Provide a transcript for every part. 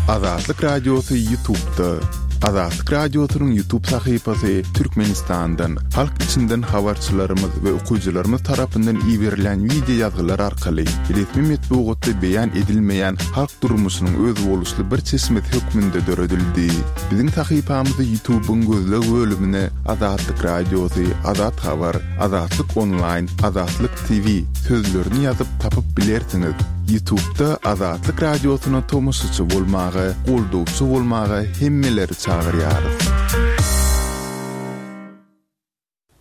Azatlyk Radiosy Ýutubda. Azatlyk Radiosynyň Ýutub sahypasy Türkmenistandan, halk içinden habarçylarymyz we okyjylarymyz tarapyndan iberilýän wideo ýazgylar arkaly resmi metbugatda beýan edilmeýän halk durmuşynyň özboluşly bir çeşmesi hökmünde döredildi. Biziň sahypamyzy Ýutubyň gözleg bölümine Azatlyk Radiosy, Azat Habar, Azatlyk Onlaýn, Azatlyk TV sözlerini ýazyp tapyp bilersiňiz. Ýutubda Azatlyk Radiosyna tomaşaçy bolmaga, goldawçy bolmaga hemmeleri çagyrýarys.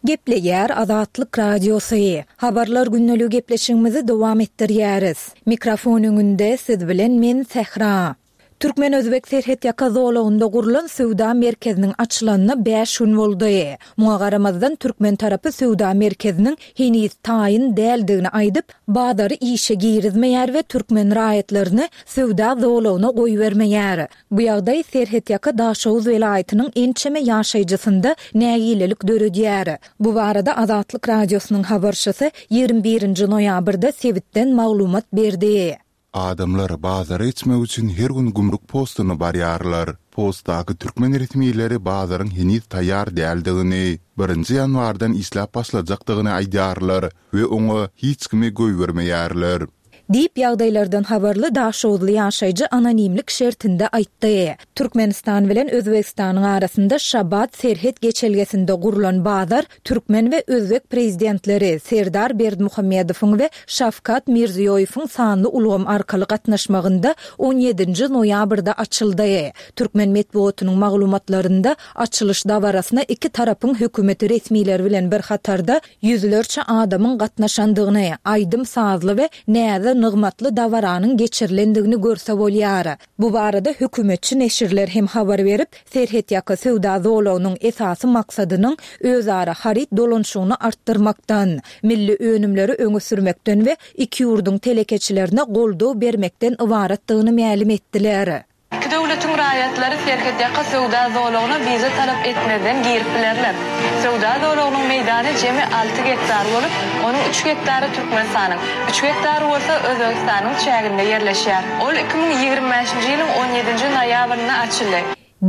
Gepleýär Azatlyk Radiosy. Habarlar gündeligi gepleşigimizi dowam etdirýäris. Mikrofon öňünde siz bilen men Sähra. Türkmen-özbek serhetýaka zolagynda gurlan söwda merkeziniň açylanyna bäş gün boldy. Muňa garamazdan, türkmen tarapy söwda merkeziniň heniz taýyn däldigini aýdyp, bazary işe girizmeýär we türkmen raýatlaryny söwda zolagyna goýbermeýär. Bu ýagdaý serhetýaka Daşoguz welaýatynyň ençeme ýaşaýjysynda nägilelik döredýär. Bu barada Azatlyk Radiosynyň habarçysy 21-nji noýabrda sebitden maglumat berdi. Adamlar bazara geçmek üçin her gün gümrük postuna barýarlar. Postdaky türkmen resmileri bazaryň heniz taýýar däldigini, birinji ýanwardan işläp başlajakdygyny aýdýarlar we oňa hiç kimi goýbermeýärler. Diýip, ýagdaýlardan habarly daşoguzly ýaşaýjy anonimlik şertinde aýtdy. Türkmenistan bilen Özbegistanyň arasynda Şabat serhet geçelgesinde gurlan bazar Türkmen we özbek prezidentleri Serdar Berdimuhamedowyň we Şawkat Mirziýoýewiň sanly ulgam arkaly gatnaşmagynda on ýedinji noýabrda açyldy. Türkmen metbugatynyň maglumatlarynda açylyş dabarasyna iki tarapyň hökümet resmileri bilen bir hatarda ýüzlerçe adamyň gatnaşandygyny, aýdym-sazly we näze-nygmatly dabaranyň geçirilendigini görse bolýar. Bu barada hökümetçi neşirler hem habar berip, serhetýaka söwda zolagynyň esasy maksadynyň özara haryt dolanyşygyny artdyrmakdan, milli önümleri öňe sürmekden we iki ýurduň telekeçilerine goldaw bermekden ybaratdygyny mälim etdiler. Iki döwletiň raýatlary serhetýaka söwda zolagyna wiza talap etmezden girip bilerler. Söwda zolagynyň meýdany jemi alty gektar bolup, onuň üç gektary Türkmenistanyň, üç gektary bolsa Özbegistanyň çäginde ýerleşýär. Ol 2025-nji ýylyň on ýedinji noýabrynda açyldy.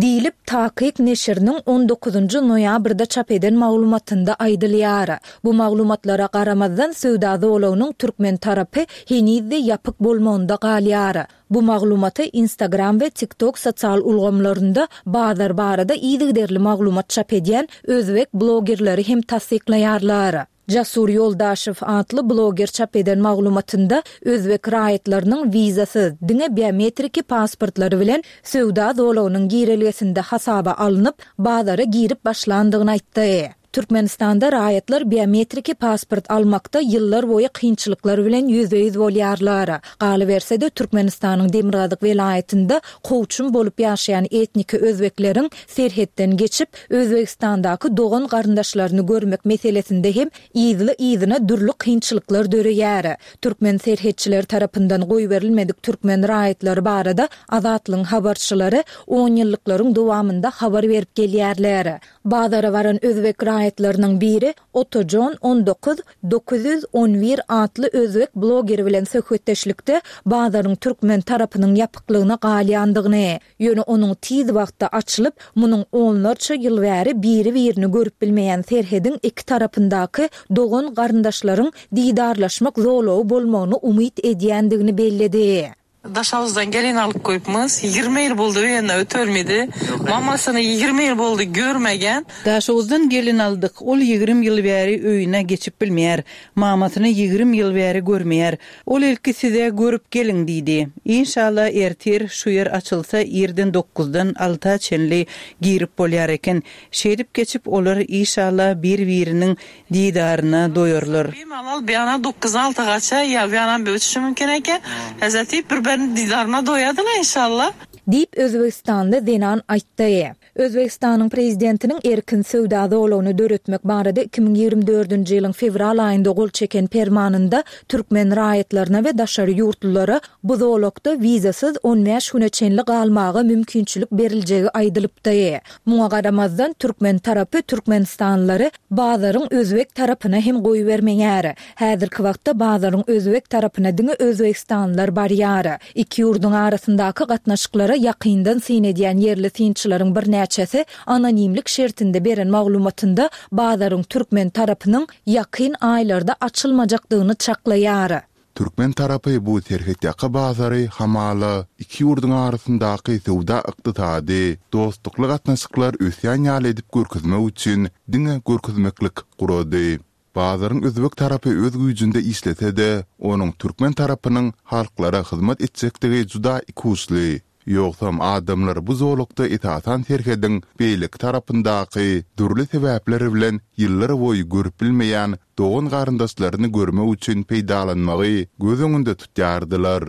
Diýlip, Takyk neşiriniň on dokuzynjy noýabrda çap eden maglumatynda aýdylýar. Bu maglumatlara garamazdan, söwda zolagynyň türkmen tarapy heniz-de ýapyk bolmagynda galýar. Bu maglumaty Instagram we TikTok sosial ulgamlarynda bazar barada yzygiderli maglumat çap edýän özbek blogerleri hem tassyklaýarlar. Jasur Ýoldaşew atly bloger çap eden maglumatynda özbek raýatlarynyň wizasyz, diňe biometriki pasportlary bilen söwda zolagynyň girelgesinde hasaba alnyp, bazara girip başlandygyny aýtdy. Türkmenistanda raýatlar biometriki pasport almakda ýyllar boýy kynçylyklar bilen ýüzbe-ýüz bolýarlar. Galyberse-de, Türkmenistanyň demirgazyk welaýatynda kowçum bolup ýaşaýan etniki özbekleriň serhetden geçip, Özbegistandaky dogan-garyndaşlaryny görmek meselesinde hem yzly-yzyna dürli kynçylyklar döreýär. Türkmen serhetçileri tarapyndan goýberilmedik türkmen raýatlary barada Azatlygyň habarçylary onýyllyklaryň dowamynda habar berip gelýärler. Bazara baran özbek raýatlarynyň biri Otajon 19 911 atly özbek blogeri bilen söhbetdeşlikde bazaryň türkmen tarapynyň ýapyklygyna galýandygyny, ýöne onuň tiz wagtda açylyp, munuň onlarça ýyl bäri biri-birini görüp bilmeýän serhediň iki tarapyndaky dogan-garyndaşlaryň didarlaşmak zolagy bolmagyny umyt edýändigini belledi. Daşagyzdan gelin alyp goýupmyz. 20 ýyl boldy öýünde ötürmedi. Mamasyny 20 ýyl boldy görmegen. Daşoguzdan gelin aldyk. Ol 20 ýyl bäri öýüne geçip bilmeýär. Mamasyny 20 ýyl bäri görmeýär. Ol ilki size görüp geliň diýdi. Inşallah ertir şu ýer açylsa irden dokuzdan alta çenli girip bolýar eken. Şeýdip geçip olar işallah bir-biriniň Didaryna doýarlar. Bimalal bir ana dokuzdan alta gaça ýa bir ana bir uçuşy mümkin eken. Hezreti bir birini didaryna doýadylar inşallah. Diýip, özbegistanly zenan aýtdy. Özbegistanyň Prezidentiniň erkin söwda zolagyny döretmek barada 2024-nji ýylyň fewral aýynda gol çeken Permanynda türkmen raýatlaryna we daşary ýurtlulara bu zolakda wizasyz on bäş güne çenli galmaga mümkinçilik beriljegi aýdylypdy. Muňa garamazdan, türkmen tarapy türkmenistanlylary bazaryň özbek tarapyna hem goýbermeýär. Häzirki wagtda bazaryň özbek tarapyna diňe özbegistanlylar barýar. Iki ýurduň arasyndaky gatnaşyklara. ýagdaýlara ýakyndan syn edýän ýerli synçylaryň birnäçesi anonimlik şertinde beren maglumatynda bazaryň türkmen tarapynyň ýakyn aýlarda açylmajakdygyny çaklaýar. Türkmen tarapy bu serhetýaka bazary hamala iki ýurduň arasyndaky söwda-ykdysady, dostlukly gatnaşyklar ösýän ýaly edip görkezmek üçin diňe görkezmeklik gurady. Bazaryň özbek tarapy öz güýjünde işlese-de, onuň türkmen tarapynyň halklara hyzmat etjekdigi juda ikuçly. Ýogsam adamlar bu zolakda esasan serhediň beýleki tarapyndaky dürli sebäpler bilen ýyllar boýy görüp bilmeýän dogan-garyndaşlaryny görmek üçin peýdalanmagy göz öňünde tutýardylar.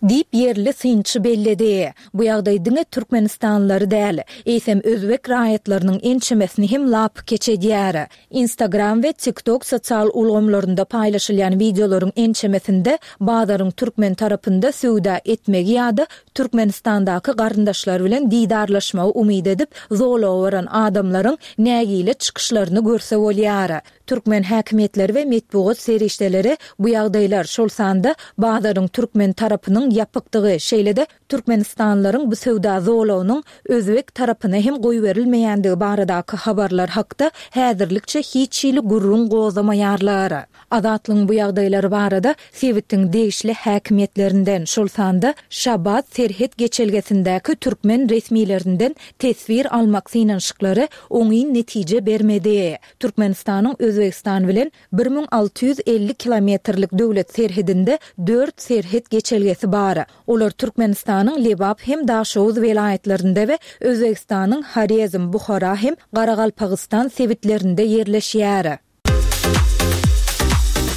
Diýip, ýerli synçy belledi. Bu ýagdaý diňe türkmenistanlylary däl, eýsem özbek raýatlarynyň ençemesini hem lapykeç edýär. Instagram we TikTok sosial ulgamlarynda paýlaşylýan wideolaryň ençemesinde bazaryň türkmen tarapynda söwda etmegi ýa-da Türkmenistandaky garyndaşlary bilen didarlaşmagy umyt edip, zolaga baran adamlaryň nägile çykyşlaryny görse bolýar. Türkmen häkimiýetleri we metbugat serişdeleri bu ýagdaýlar, şol sanda bazaryň türkmen tarapynyň ýapykdygy, şeýle-de türkmenistanlylaryň bu söwda zolagynyň özbek tarapyna hem goýberilmeýändigi baradaky habarlar hakda häzirlikçe hiç hili gürrüň gozamaýarlar. Azatlygyň bu ýagdaýlar barada sebitiň degişli häkimiýetlerinden, şol sanda Şabat serhet geçelgesindäki türkmen resmilerinden teswir almak synanyşyklary oňyn netije bermedi. Türkmenistanyň Özbegistan bilen 1650 kilometrlik döwlet serhedinde dört serhet geçelgesi bar. Olar Türkmenistanyň Lebap hem Daşoguz welaýatlarynda we Özbegistanyň Horezm, Buhara hem Garagalpagystan sebitlerinde ýerleşýär.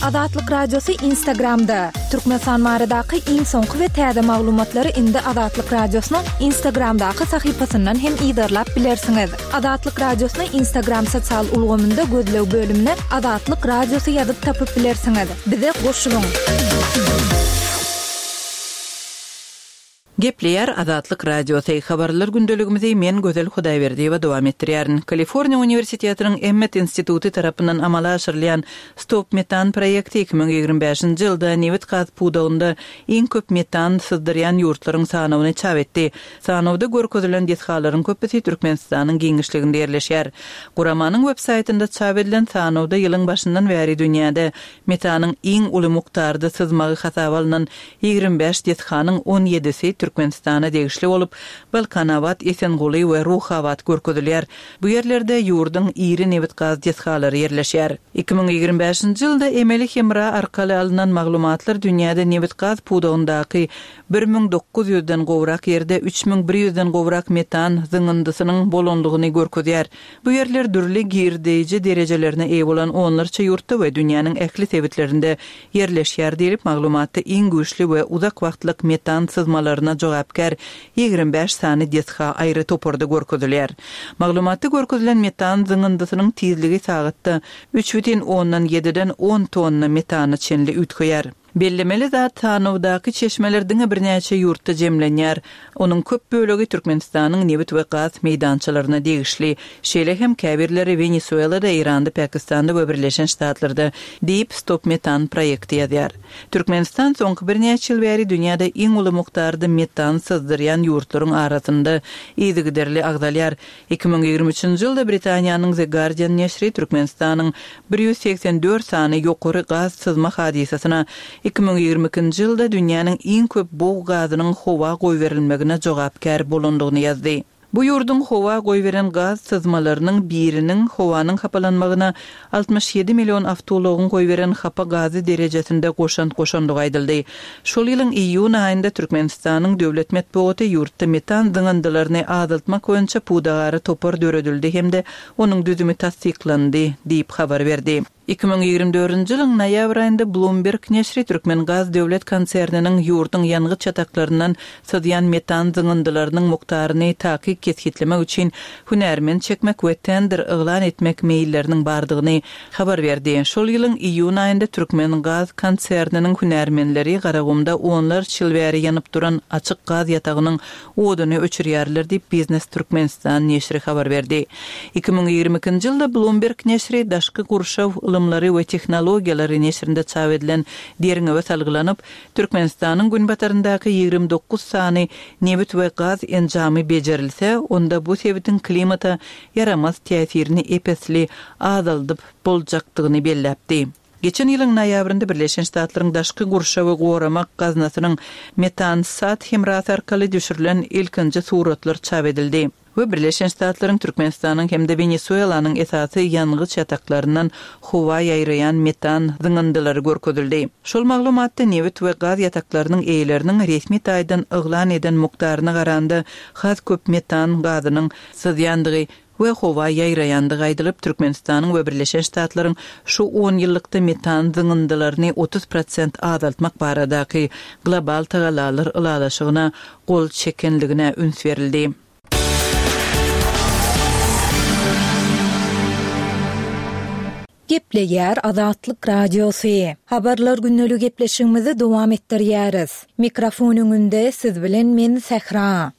Azatlyk Radiosy Instagramda, Türkmenistan baradaky iň soňky we täze maglumatlary indi Azatlyk Radiosynyň Instagramdaky sahypasyndan hem yzarlap bilersiňiz. Azatlyk Radiosyny Instagram sosial ulgamynda gözleg bölümine Azatlyk Radiosy ýazyp tapyp bilersiňiz. Bize goşulyň! Gepleýär Azatlyk Radiosy, Habarlar gündeligimizi men Gözel Hudaýberdiýewa dowam etdirýärin. Kaliforniýa uniwersitetiniň Emmet instituty tarapyndan amala aşyrylýan Stop Metan proýekti 2025-nji ýylda nebit-gaz pudagynda iň köp metan syzdyrýan ýurtlaryň sanawyny çap etdi. Sanawda görkezilen desgalaryň köpüsi Türkmenistanyň giňişliginde ýerleşýär. Guramanyň web saýtynda çap edilen sanawda ýylyň başyndan bäri dünýäde metanyň iň uly mukdarda syzmagy hasaba alnan 25 desganyň on ýedisi Türkmenistana degişli bolup, Balkanabat, Esenguly we Ruhabat görkezilýär. Bu ýerlerde ýurduň iri nebit-gaz desgalary ýerleşýär. 2025-nji ýylda emeli hemra arkaly alnan maglumatlar dünýäde nebit-gaz pudagyndaky 1900 ýüzden gowrak ýerde 3100 den gowrak metan zyňyndysynyň bolandygyny görkezýär. Bu ýerler dürli girdeýji derejelerine eýe bolan onlarça ýurtda we dünýäniň ähli sebitlerinde ýerleşýär diýlip, maglumatda iň güýçli we uzak wagtlyk metan syzmalaryna jogapkär 25 sany desga aýry toparda görkezilýär. Maglumatda görkezilen metan zyňyndysynyň tizligi sagatda üç bütin ondan ýediden on tonna metana çenli üýtgeýär. Bellemeli zat, sanawdaky çeşmeler diňe birnäçe ýurtda jemlenýär. Onuň köp bölegi Türkmenistanyň nebit we gaz meýdançalaryna degişli. Şeýle hem käbirleri Wenesuelada, Eýranda, Pakistanda we Birleşen Ştatlarda, diýip, Stop Metan proýekti ýazýar. Türkmenistan soňky birnäçe ýyl bäri dünýäde iň uly mukdarda metan syzdyrýan ýurtlaryň arasynda yzygiderli agzalýar. 2023-nji ýylda Britaniýanyň The Guardian neşiri Türkmenistanyň 184 sany ýokary gaz syzma hadysasyna, 2022-nji ýylda dünýäniň iň köp bug gazynyň howa goýberilmegine jogapkär bolandygyny ýazdy. Bu ýurduň howa goýberen gaz syzmalarynyň biriniň howanyň hapalanmagyna 67 million awtoulagyň goýberen hapa gazy derejesinde goşant goşandygy aýdyldy. Şol ýylyň iýun aýynda Türkmenistanyň döwlet metbugaty ýurtda metan zyňyndylaryny azaltmak boýunça pudagara topar döredildi hem-de onuň düzümi tassyklandy diýip habar berdi. 2024-nji ýylyň noýabr aýynda Bloomberg neşiri Türkmengaz döwlet konserniniň ýurduň ýangyç ýataklaryndan syzýan metan zyňyndylarynyň mukdaryny takyk. takyk kesgitlemek üçin hünärmen çekmek we tender yglan etmek meýilleriniň bardygyny habar berdi. Şol ýylyň iýun aýynda Türkmengaz konserniniň hünärmenleri Garagumda onlarça ýyl bäri ýanyp duran açyk gaz ýatagynyň oduny öçürýärler diýip, Biznes Türkmenistan neşiri habar berdi. 2022-nji ýylda Bloomberg neşiri Daşky gurşaw ylymlary we tehnologiýalary neşirinde çap edilen derňewe salgylanyp, Türkmenistanyň günbataryndaky 29 sany nebit we gaz enjamy bejerilse, onda bu sebitiň klimata ýaramaz täsirini ep-esli azaldyp boljakdygyny belläpdi. Geçen ýylyň noýabrynda Birleşen Ştatlaryň Daşky gurşawy goramak gaznasynyň Metansat hemrasy arkaly düşürilen ilkinji suratlar çap edildi we Birleşen Ştatlaryň, Türkmenistanyň hem-de Wenesuelanyň esasy ýangyç ýataklaryndan howa ýaýraýan metan zyňyndylary görkezildi. Şol maglumatda nebit we gaz ýataklarynyň eýeleriniň resmi taýdan yglan eden mukdaryna garanda has köp metan gazynyň syzýandygy we howa ýaýraýandygy aýdylyp, Türkmenistanyň we Birleşen Ştatlaryň şu onýyllykda metan zyňyndylaryny 30 prosent azaltmak baradaky global tagallalar ylalaşygyna gol çekenligine üns berildi. Gepleýär Azatlyk Radiosy. Habarlar gündeligi gepleşigimizi dowam etdirýäris. Mikrofon öňünde siz bilen men Sähra.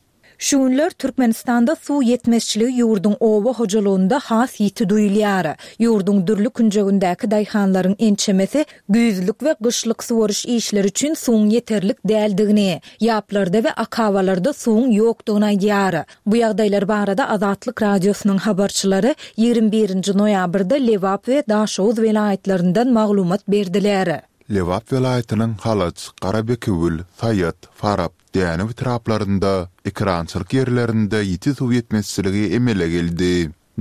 Şu günler Türkmenistanda suw ýetmezçiligi ýurduň oba hojalygynda has ýiti duýulýar. Ýurduň dürli künjegindäki daýhanlaryň ençemesi güýzlük we gyşlyk suwaryş işleri üçin suwuň ýeterlik däldigini, ýaplarda we akabalarda suwuň ýokdugyny aýdýar. Bu ýagdaýlar barada Azatlyk Radiosynyň habarçylary 21 nji noýabrda Lebap we Daşoguz welaýatlaryndan maglumat berdiler. Lebap welaýatynyň Halaç, Garabekewül, Saýat, Farap, Dänew etraplarynda ekerançylyk ýerlerinde ýiti suw ýetmezçiligi emele geldi.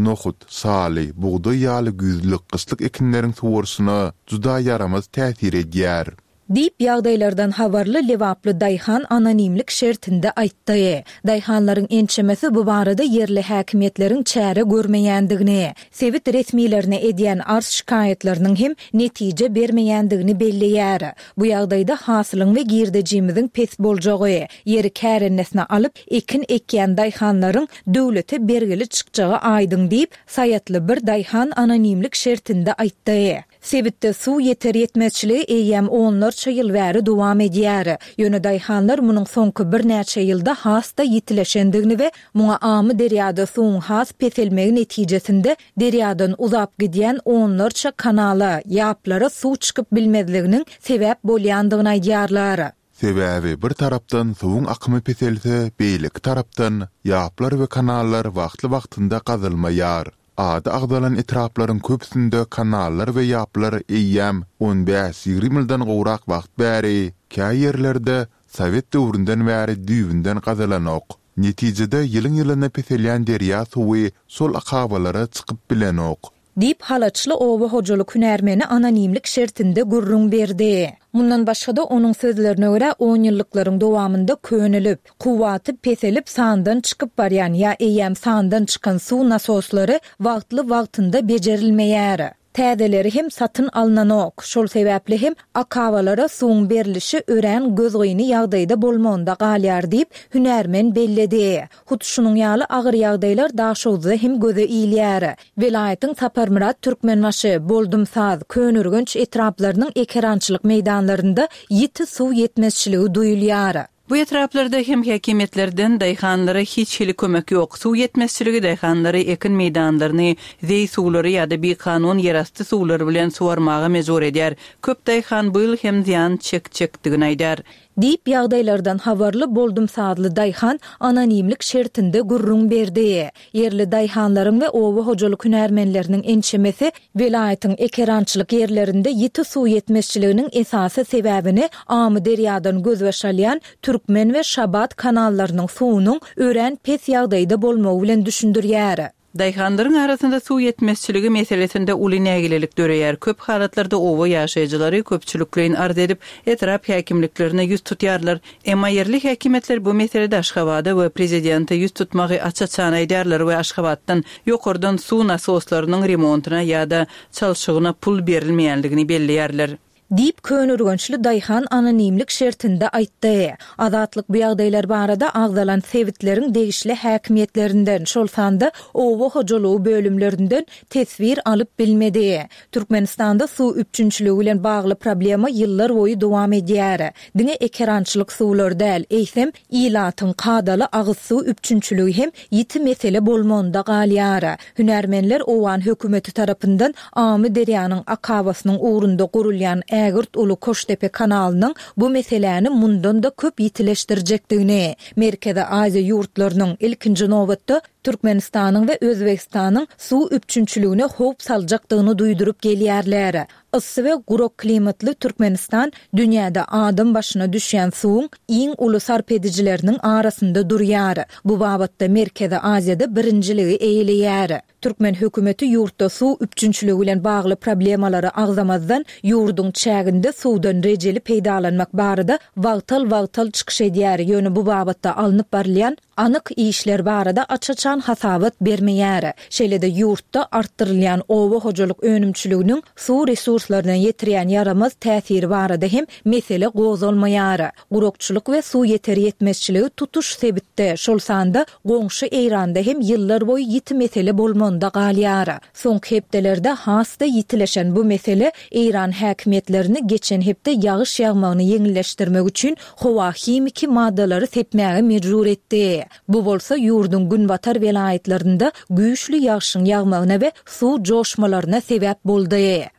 Nohut, şaly, bugdaý ýaly güýzlük, gyşlyk ekinleriň suwaryşyna juda ýaramaz täsir edýär. Diýip, ýagdaýlardan habarly lebaply daýhan anonimlik şertinde aýtdy. Daýhanlaryň ençemesi bu barada ýerli häkimiýetleriň çäre görmeýändigini, sebit resmilerine edýän arz-şikaýatlarynyň hem netije bermeýändigini belleýär. Bu ýagdaýda hasylyň we girdejimiziň pes boljagy, ýeri kärennesine alyp, ekin ekýän daýhanlaryň döwlete bergili çykjagy aýdyň diýip, saýatly bir daýhan anonimlik şertinde aýtdy. Sebitde suw ýeter-ýetmezçiligi eýýäm onlarça ýyl bäri dowam edýär. Ýöne daýhanlar munuň soňky birnäçe ýylda has-da ýitileşendigini we muňa Amyderýada suwuň has peselmegi netijesinde Derýadan uzap gidýän onlarça kanala, ýaplara suw çykyp bilmezliginiň sebäp bolýandygyny aýdýarlar. Sebäbi bir tarapdan suwuň akymy peselse, beýleki tarapdan ýaplar we kanallar wagtly-wagtynda gazylmaýar. Ady agzalan etraplaryň köpüsinde kanallar we ýaplar eýýäm on bäş-ýigrimi ýyldan gowrak wagt bäri, kä ýerlerde sowet döwründen bäri düýbünden gazylanok. Netijede ýylyň-ýylyna peselýän derýa suwy şol akabalara çykyp bilenok. Diýip, halaçly oba hojalyk hünärmeni anonimlik şertinde gürrüň berdi. Mundan başga-da, onuň sözlerine görä, onýyllyklaryň dowamynda könelip, kuwwaty peselip sandan çykyp barýan ýa eýýäm sandan çykan suw nasoslary wagtly-wagtynda bejerilmeýär. Täzeleri hem satyn alnanok. Şol sebäpli hem akabalara suwuň berlişi örän gözgyny ýagdaýda bolmagynda galýar diýip, hünärmen belledi. Hut şunuň ýaly agyr ýagdaýlar Daşoguzda hem göze ilýär. Welaýatyň Saparmyrat Türkmenbaşy, Boldumsaz, Köneürgenç etraplarynyň ekerançylyk meýdanlarynda ýiti suw ýetmezçiligi duýulýar. Bu etraplarda hem häkimiýetlerden daýhanlara hiç hili kömek ýok. Suw ýetmezçiligi daýhanlary ekin meýdanlaryny zeý suwlary ýa-da bikanun ýerasty suwlar bilen suwarmaga mejbur edýär. Köp daýhan bu ýyl hem zyýan çekjekdigini aýdýar. Diýip, ýagdaýlardan habarly boldumsazly daýhan anonimlik şertinde gürrüň berdi. Ýerli daýhanlaryň we oba hojalyk hünärmenleriniň ençemesi welaýatyň ekerançylyk ýerlerinde ýiti suw ýetmezçiliginiň esasy sebäbini Amyderýadan gözbaş alýan Türkmen we Şabat kanallarynyň suwunyň örän pes ýagdaýda bolmagy bilen düşündirýär. Daýhanlaryň arasynda suw ýetmezçiligi meselesinde uly nägilelik döreýär. Köp halatlarda oba ýaşaýjylary köpçülikleýin arz edip, etrap häkimliklerine ýüz tutýarlar. Emma ýerli häkimiýetler bu meselede Aşgabada we prezidente ýüz tutmagy aç-açan aýdýarlar we Aşgabatdan ýokardan suw nasoslarynyň remontyna ýa-da çalşygyna pul berilmeýänligini belleýärler. Diýip, köneürgençli daýhan anonimlik şertinde aýtdy. Azatlyk bu ýagdaýlar barada agzalan sebitleriň degişli häkimiýetlerinden, şol sanda oba hojalygy bölümlerinden teswir alyp bilmedi. Türkmenistanda suw üpjünçiligi bilen bagly problema ýyllar boýy dowam edýär. Diňe ekerançylyk suwlary däl, eýsem, ilatyň kadaly agyz suw üpjünçiligi hem ýiti mesele bolmagynda galýar. Hünärmenler owgan hökümeti tarapyndan Amyderýanyň akabasynyň ugrunda gurulýan ägirt uly Koştepe kanalynyň bu meseläni mundan-da köp ýitileşdirjekdigini, Merkezi Aziýa ýurtlarynyň, ilkinji nobatda, Türkmenistanyň we Özbegistanyň suw üpjünçiligine howp saljakdygyny duýduryp gelýärler. Yssy we gurak klimatly Türkmenistan dünýäde adam başyna düşýän suwuň iň uly sarp edijileriniň arasynda durýar. Bu babatda Merkezi Aziýada birinjiligi eýeleýär. Türkmen hökümeti ýurtda suw üpjünçiligi bilen bagly problemalary agzamazdan, ýurduň çäginde suwdan rejeli peýdalanmak barada wagtal-wagtal çykyş edýär, ýöne bu babatda alnyp barylýan anyk işler barada aç-açan hasabat bermeýär. Şeýle-de ýurtda artdyrylýan oba hojalyk önümçiliginiň suw resurslaryna ýetirýän ýaramaz täsiri barada hem mesele gozgalmaýar. Gurakçylyk we suw ýeter-ýetmezçiligi tutuş sebitde, şol sanda goňşy Eýranda hem ýyllarboýy ýiti mesele bolmagynda galýar. Soňky hepdelerde has-da ýitileşen bu mesele eýran häkimiýetlerini geçen hepde ýagyş ýagmagyny ýeňilleşdirmek üçin howa himiki maddalary sepmäge mejbur etdi. Bu bolsa ýurduň günbatar welaýatlarynda güýçli ýagşyň ýagmagyna we suw joşmalaryna sebäp boldy.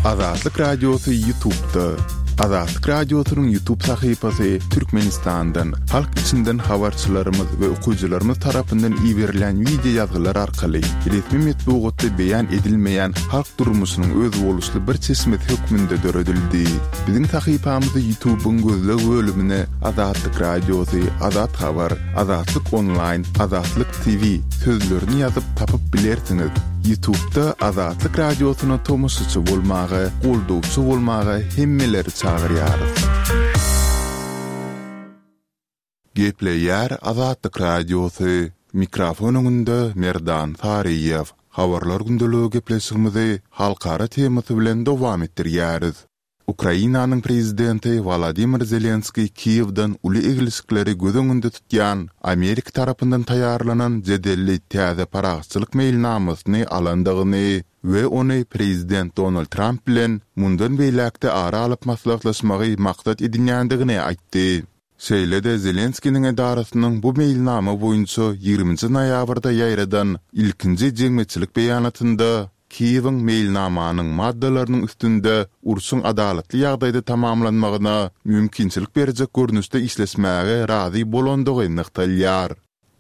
Azatlyk Radiosy YouTube'da. Azatlyk Radiosynyň YouTube sahypasy Türkmenistandan, halk içinden habarçylarymyz we okyjylarymyz tarapyndan iberilýän wideo ýazgylar arkaly resmi metbugatda beýan edilmeýän halk durmuşynyň özboluşly bir çeşmesi hökmünde döredildi. Biziň sahypamyzy YouTube'yň gözleg bölümine Azatlyk Radiosy, Azat Habar, Azatlyk Onlaýn, Azatlyk TV sözlerini ýazyp tapyp bilersiňiz. Ýutubda Azatlyk Radiosyna tomaşaçy bolmaga, goldawçy bolmaga hemmeleri çagyrýarys. Gepleýär Azatlyk Radiosy, mikrofon öňünde Merdan Saryýew. Habarlar gündeligi gepleşigimizi halkara temasy bilen dowam etdirýäris. Ukrainanyň prezidenti Wolodymyr Zelenskiý Kiýewden uly eglişikleri göz öňünde tutýan Amerika tarapyndan taýýarlanan jedelli täze parahatçylyk meýilnamasyny alandygyny we ony prezident Donald Tramp bilen mundan beýläk-de ara alyp maslahatlaşmagy maksat edinýändigini aýtdy. Şeýle-de Zelenskiniň edarasynyň bu meýilnama boýunça ýigriminji noýabrda ýaýradan ilkinji jemgyýetçilik beýanatynda Kiýewiň meýilnamanyň maddalarynyň üstünde urşuň adalatly ýagdaýda tamamlanmagyna mümkinçilik berjek görnüşde işleşmäge razy bolandygy nygtalýar.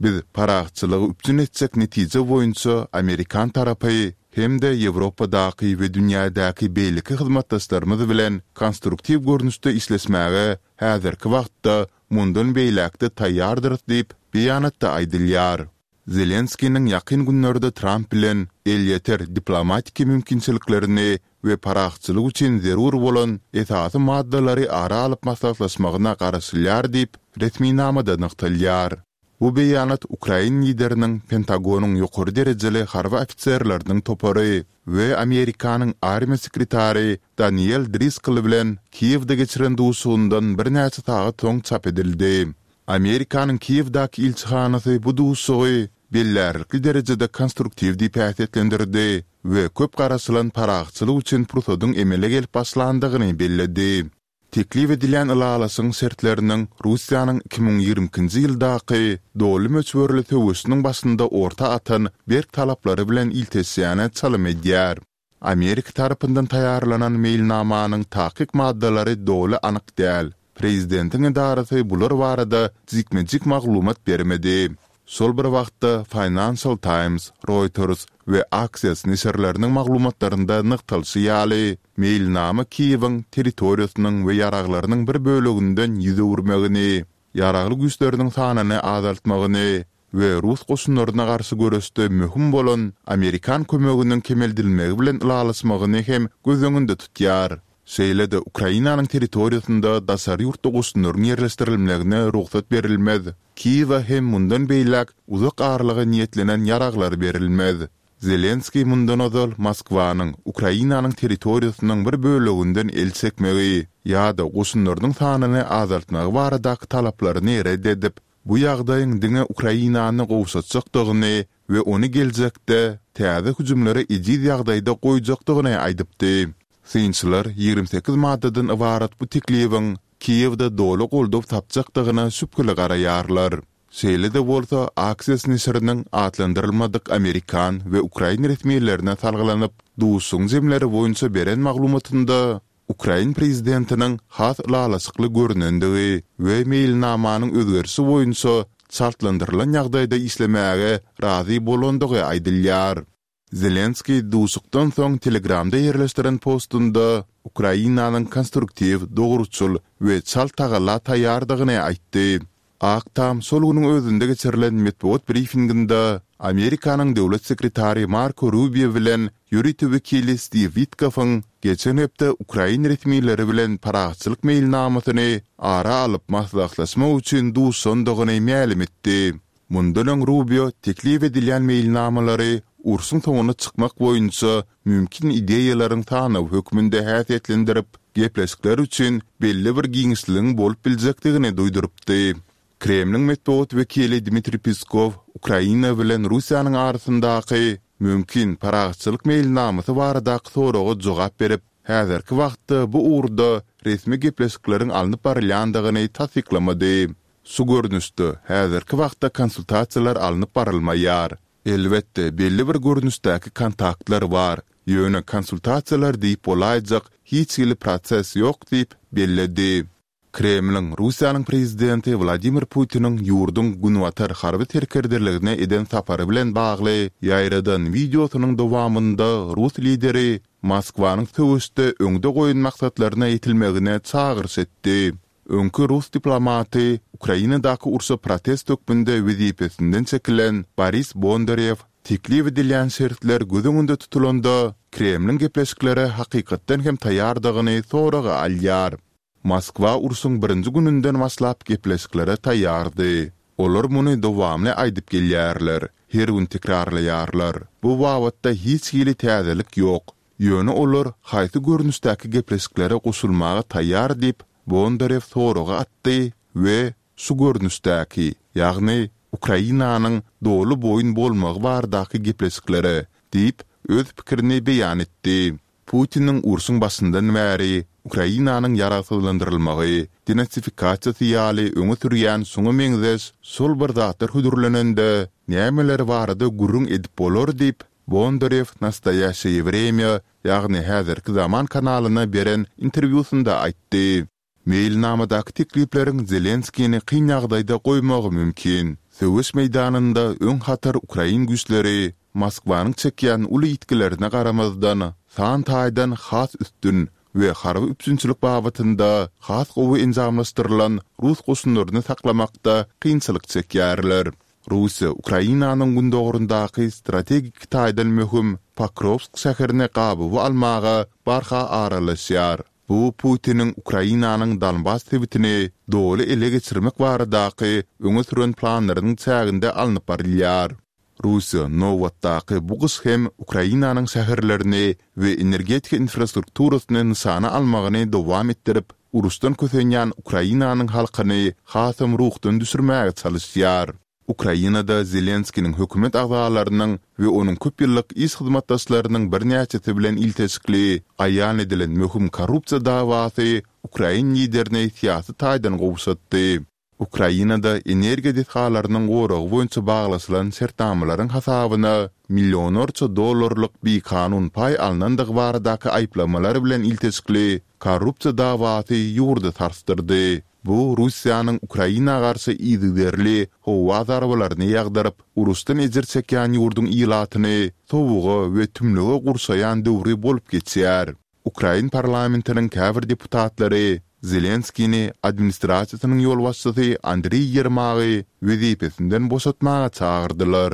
Biz parahatçylygy üpjün etjek netije boýunça amerikan tarapy hem-de Ýewropadaky we dünýädäki beýleki hyzmatdaşlarymyz bilen konstruktiw görnüşde işleşmäge häzirki wagtda mundan beýläk-de taýýardyrys diýip, beýanatda aýdylýar. Zelenskiniň ýakyn günlerde Tramp bilen elýeter diplomatiki mümkinçiliklerini we parahatçylyk üçin zerur bolan esasy maddalary ara alyp maslahatlaşmagyna garaşylýar diýip, resminamada nygtalýar. Bu beýanat ukrain lideriniň Pentagonyň ýokary derejeli harby ofiserleriniň topary we Amerikanyň armiýa sekretary Daniel Driscoll bilen Kiýewde geçiren duşuşygyndan birnäçe sagat soň çap edildi. Amerikanyň Kiýewdäki ilçihanasy bu duşuşygy bellärlikli derejede konstruktiw diýip häsiýetlendirdi we köp garaşylan parahatçylyk üçin pursadyň emele gelip başlandygyny belledi. Teklip edilýän ylalaşygyň şertleriniň Russiýanyň 2022-nji ýyldaky doly möçberli söweşiniň başynda orta atan berk talaplary bilen ilteşýäne çalym edýär. Amerika tarapyndan taýýarlanan meýilnamanyň takyk maddalary doly anyk däl. Prezidentiň edarasy bular barada jikme-jik maglumat bermedi. Şol bir wagtda, Financial Times, Reuters we Axios neşirleriniň maglumatlarynda nygtalyşy ýaly, meýilnama Kiýewiň territoriýasynyň we ýaraglarynyň bir böleginden ýüz öwürmegini, ýaragly güýçleriniň sanyny azaltmagyny we rus goşunlaryna garşy göreşde möhüm bolan amerikan kömeginiň kemeldilmegi bilen ylalaşmagyny hem göz öňünde tutýar. Şeýle-de Ukrainanyň territoriýasynda daşary ýurtly goşunlaryň ýerleşdirilmegine rugsat berilmez, Kiýewe hem mundan beýläk uzak aralyga niýetlenen ýaraglar berilmez. Zelenskiý mundan ozal Moskwanyň Ukrainanyň territoriýasynyň bir böleginden el çekmegi ýa-da goşunlarynyň sanyny azaltmagy baradaky talaplaryny ret edip, bu ýagdaýyň diňe Ukrainany gowşatjakdygyny we ony geljekde täze hüjümlere ejiz ýagdaýda goýjakdygyny aýdypdy. Synçylar 28 maddadan ybarat bu teklibiň Kiýewde doly goldaw tapjakdygyna şübheli garaýarlar. Şeýle-de bolsa, Axios neşiriniň atlandyrylmadyk amerikan we ukrain resmilerine salgylanyp, duşuşygyň jemleri boýunça beren maglumatynda, ukrain prezidentiniň has ylalaşykly görnendigi we meýilnamanyň özgerişi boýunça çaltlandyrylan ýagdaýda işlemäge razy bolandygy aýdylýar. Zelenskiý duşuşykdan soň Telegramda ýerleşdiren postunda Ukrainanyň konstruktiw, dogruçyl we çalt tagalla taýýardygyny aýtdy. Ak Tam şol günüň özünde geçirilen metbugat brifinginde Amerikanyň Döwlet sekretary Marko Rubio bilen ýörite wekili Stiw Witkoffyň geçen hepde ukrain resmileri bilen parahatçylyk meýilnamasyny ara alyp maslahatlaşmak üçin duşandygyny mälim etdi. Mundan öň Rubio teklip edilýän meýilnamalary urşuň soňuna çykmak boýunça mümkin ideýalaryň sanawy hökmünde häsiýetlendirip, gepleşikler üçin belli bir giňişligiň bolup biljekdigini duýdurypdy. Kremliň metbugat wekili Dmitriý Peskow Ukraina bilen Russiýanyň arasyndaky mümkin parahatçylyk meýilnamasy baradaky soraga jogap berip, häzirki wagtda bu ugurda resmi gepleşikleriň alnyp barylýandygyny tassyklamady. Şu görnüşde häzirki wagtda konsultasiýalar alnyp barylmaýar. Elbetde, belli bir görnüşdäki kontaktlar bar, ýöne konsultasiýalar diýip bolaýjak hiç hili proses ýok diýip, belledi. Kremliň Russiýanyň prezidenti Wladimir Putiniň ýurduň günbatar harby serkerdeligine eden sapary bilen bagly ýaýradan wideosynyň dowamynda rus lideri Moskwanyň söweşde öňde goýan maksatlaryna ýetilmegine çagyryş etdi. Öňki rus diplomaty, Ukrainadaky urşa protest hökmünde wezipesinden çekilen Boris Bondarew teklip edilýän şertler göz öňünde tutulanda, Kremliň gepleşiklere hakykatdan hem taýýardygyny soraga alýar. Moskwa urşuň birinji gününden başlap gepleşiklere taýýardy. Olar muny dowamly aýdyp gelýärler, her gün tekrarlaýarlar. Bu babatda hiç hili täzelik ýok. Ýöne olar haýsy görnüşdäki gepleşiklere goşulmaga taýýar diýip, Bondarew soragy atdy we şu görnüşdäki, ýagny Ukrainanyň doly boýun bolmagy baradaky gepleşiklere diýip, öz pikirini beýan etdi. Putiniň urşuň başyndan bäri Ukrainanyň ýaragsyzlandyrylmagy, denatsifikasiýasy ýaly öňe sürýän şuňa meňzeş şol bir zatlar hödürlenende, nämeler barada gürrüň edip bolar diýip, Bondarew Nastoýaşeýe Wremýa, ýagny Häzirki zaman kanalyna beren interwýusynda aýtdy. Meýilnamadaky teklipleriň Zelenskini kyn ýagdaýda goýmagy mümkin. Söweş meýdanynda öň hatar ukrain güýçleri Moskwanyň çekýän uly ýitgilerine garamazdan, san taýdan has üstün we harby üpjünçilik babatynda has gowy enjamlaşdyrylan rus goşunlaryny saklamakda kynçylyk çekýärler. Russiýa Ukrainanyň gündogaryndaky strategik taýdan möhüm Pokrowsk şäherini gabawa almaga barha aralaşýar. Bu Putiniň Ukrainanyň Donbas sebitini doly ele geçirmek baradaky öňe süren planlarynyň çäginde alnyp barylýar. Russiýa nobatdaky bu gyş hem Ukrainanyň şäherlerini we energetika infrastrukturasyny nyşana almagyny dowam etdirip, uruşdan kösenýän Ukrainanyň halkyny hasam ruhdan düşürmäge çalyşýar. Ukrainada Zelenskiniň hökümet agzalarynyň we onuň köp ýyllyk iş hyzmatdaşlarynyň birnäçesi bilen ilteşikli aýan edilen möhüm korrupsiýa dawasy ukrain liderini syýasy taýdan gowşatdy. Ukrainada energiýa desgalarynyň goragy boýunça baglaşylan şertnamalaryň hasabyna millionlarça dollarlyk bikanun paý alnandygy baradaky aýyplamalar bilen ilteşikli korrupsiýa dawasy ýurdy sarsdyrdy. Bu Russiýanyň Ukraina garşy yzygiderli howa zarbalaryny ýagdyryp, uruşdan ejir çekýän ýurduň ilatyny sowuga we tümlüge gurşaýan döwri bolup geçýär. Ukrain parlamentiniň käbir deputatlary Zelenskini administrasiýasynyň ýolbaşçysy Andriý Ýermagy wezipesinden boşatmaga çagyrdylar.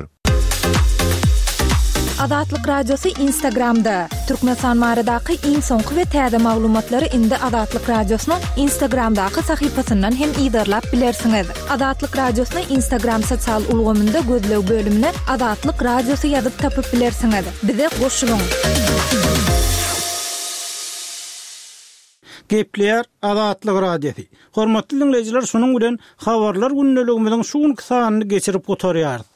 Azatlyk Radiosy Instagramda! Türkmenistan baradaky iň soňky we täze maglumatlary indi Azatlyk Radiosynyň Instagramdaky sahypasyndan hem yzarlap bilersiňiz. Azatlyk Radiosyny Instagram sosial ulgamynda gözleg bölümine Azatlyk Radiosy ýazyp tapyp bilersiňiz. Bize goşulyň! Gepleýär Azatlyk Radiosy. Hormatly diňleýjiler şunuň bilen Habarlar gündeligimiziň şu günki sanyny geçirip gutarýarys.